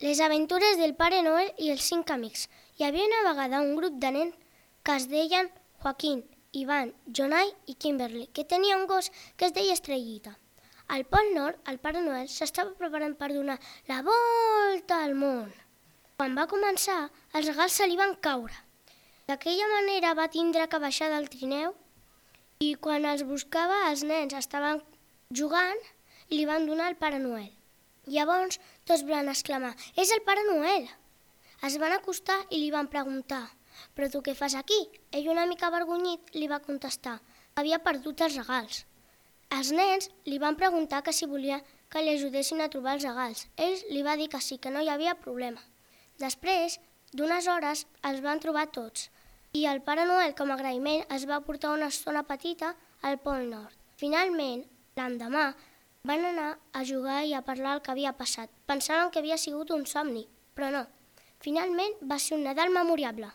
Les aventures del Pare Noel i els 5 amics. Hi havia una vegada un grup de nens que es deien Joaquín, Ivan, Jonai i Kimberly, que tenia un gos que es deia Estrellita. Al Pol Nord, el Pare Noel s'estava preparant per donar la volta al món. Quan va començar, els regals se li van caure. D'aquella manera va tindre que baixar del trineu i quan els buscava els nens estaven jugant i li van donar el Pare Noel. Llavors tots van exclamar: «És el Pare Noel!». Es van acostar i li van preguntar: «Però tu què fas aquí?». Ell, una mica avergonyit, li va contestar que havia perdut els regals. Els nens li van preguntar que si volia que li ajudessin a trobar els regals. Ell li va dir que sí, que no hi havia problema. Després d'unes hores els van trobar tots i el Pare Noel, com a agraïment, es va portar una estona petita al Pol Nord. Finalment, l'endemà, van anar a jugar i a parlar el que havia passat. Pensaven que havia sigut un somni, però no. Finalment va ser un Nadal memorable.